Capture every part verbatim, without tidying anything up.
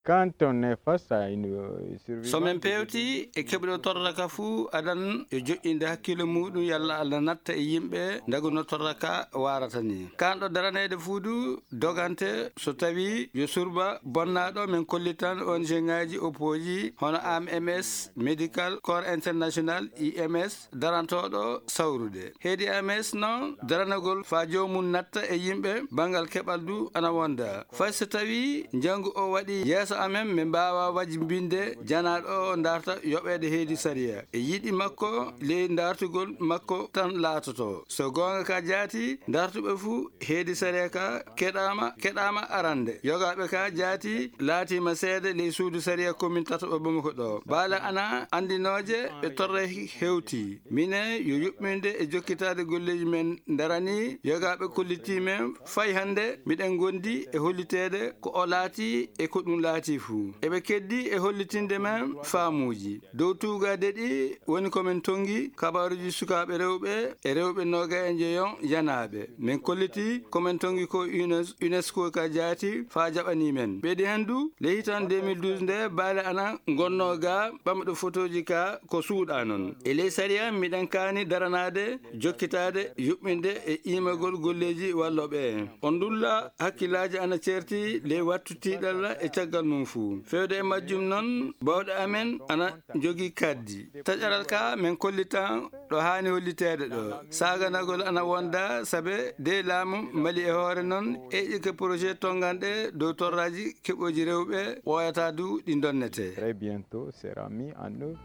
quand on est face à une, euh, survivante, so min pewti e keɓɗo torra ka fuu, adan yo joƴƴinde hakkille muuɗum, yalla Allah natta e yimɓe ndagu no torra ka waarata ni. Kanɗo daraneede fuu du dogante so tawi yo surba bonnaaɗo, min kollitan O N G ŋaaji oppooji hono A M S, Medical Corps International, I M S, darantooɗo sawrude. Heedi A M S noon, daranagol faa joomum natta e yimɓe, banngal keɓal du ana wonda. Fay so tawi njangu o waɗi yeeso amen, min mbaawa wajmbinde janaaɗo o darta yoɓeede heedi sariya. E yiɗi makko, ley dartugol makko tan laatoto. So goonga ka jaati, dartuɓe fuu heedi sariya ka keɗaama, keɗaama arande. Yogaaɓe ka jaati laatiima seede ley suudu sariya komin tataɓo Bamako ɗo. Baale ana anndinooje ɓe torra hewti. Minen yo yuɓɓinde e jokkitaade golleeji men darani. Yogaaɓe kollitii men fay hannde, miɗen ngondi e holliteede ko o laati e ko ɗum laati fuu. Eɓe keddi e hollitinde men faamuuji. Dow tuugaaɗe ɗi woni ko min tonngi kabaaruuji sukaaɓe rewɓe e rewɓe noogay e njeyo yanaaɓe. Min kolliti ko min tonngi ko UNES-, UNESCO ka jaati faa jaɓanii men. Ɓeydi heen du, ley hitan deux mille douze nde, baale ana ngonnoo ga ɓamɗo fotooji ka ko suuɗaa noon. E ley sariya, miɗen kaani daranaade, jokkitaade, yuɓɓinde e iimagol golleeji wallooɓe en. On ndulla hakkillaaji ana ceerti ley wattu tiiɗalla e caggal mum fuu. Feewde e majjum noon, baawɗe amen ana njogii kaddi. Taƴaral ka min kollitan ɗo haani holliteede ɗo. Saaganagol ana wonda sabe de laamu Mali e hoore noon eƴƴike projet tonnganɗe dow torraaji keɓooji rewɓe ɓooyataa du ɗi donnetee. Très bientôt sera mis en œuvre.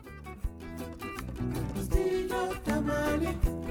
Studio Tamale.